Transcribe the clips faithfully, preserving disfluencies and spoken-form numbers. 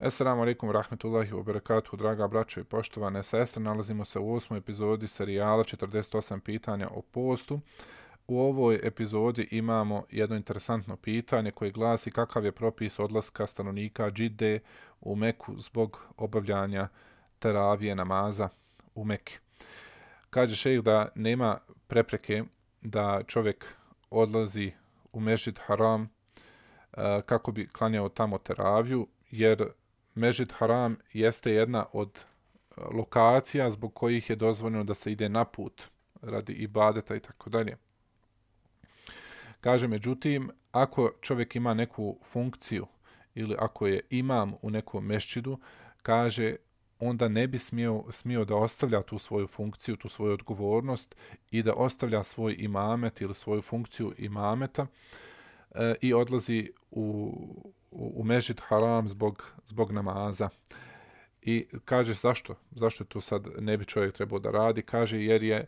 Assalamu alaikum wa rahmatullahi wa barakatuhu, draga braćo i poštovane sestre. Nalazimo se u osmoj epizodi serijala četrdeset osam pitanja o postu. U ovoj epizodi imamo jedno interesantno pitanje koje glasi kakav je propis odlaska stanovnika Džide u Meku zbog obavljanja teravije namaza u Meki. Kaže šejh da nema prepreke da čovjek odlazi u Mešđid Haram uh, kako bi klanjao tamo teraviju, jer Mešđid Haram jeste jedna od lokacija zbog kojih je dozvoljeno da se ide na put radi ibadeta i tako dalje. Kaže, međutim, ako čovjek ima neku funkciju ili ako je imam u nekom mešćidu, kaže, onda ne bi smio, smio da ostavlja tu svoju funkciju, tu svoju odgovornost i da ostavlja svoj imamet ili svoju funkciju imameta e, i odlazi u, u, u Mešđid Haram zbog, zbog namaza. I kaže zašto? Zašto to sad ne bi čovjek trebao da radi? Kaže jer je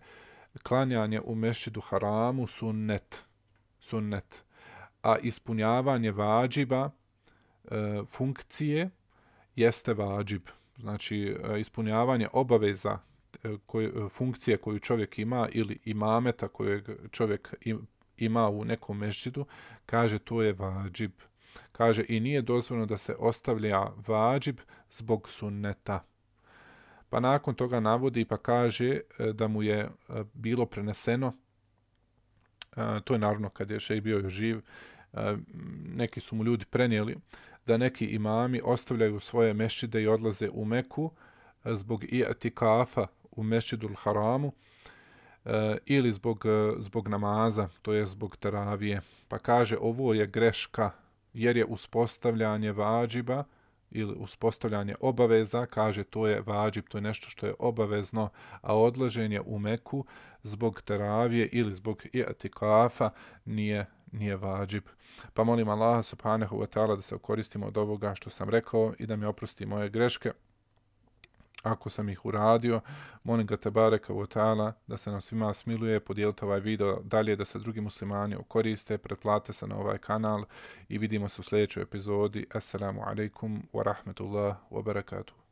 klanjanje u Mešđidu Haramu sunnet. sunnet. A ispunjavanje vađiba e, funkcije jeste vađib. Znači e, ispunjavanje obaveza e, koje, funkcije koju čovjek ima ili imameta kojeg čovjek ima u nekom mešđidu, kaže to je vađib. Kaže i nije dozvoljeno da se ostavlja vađib zbog sunneta. Pa nakon toga navodi pa kaže da mu je bilo preneseno, to je naravno kad je šejh bio još živ, neki su mu ljudi prenijeli da neki imami ostavljaju svoje mešćide i odlaze u Meku zbog i'tikafa u Mešđidul Haramu ili zbog, zbog namaza, to je zbog teravije. Pa kaže ovo je greška, jer je uspostavljanje vađiba ili uspostavljanje obaveza, kaže to je vađib, to je nešto što je obavezno, a odlaženje u Meku zbog teravije ili zbog i'tikafa nije, nije vađib. Pa molim Allaha subhanahu wa ta'ala da se koristimo od ovoga što sam rekao i da mi oprosti moje greške. Ako sam ih uradio, molim ga tebareka wa ta'ala da se nam svima smiluje, podijelite ovaj video dalje da se drugi muslimani koriste, pretplate se na ovaj kanal i vidimo se u sljedećoj epizodi. Assalamu alaikum wa rahmatullahi wa barakatuh.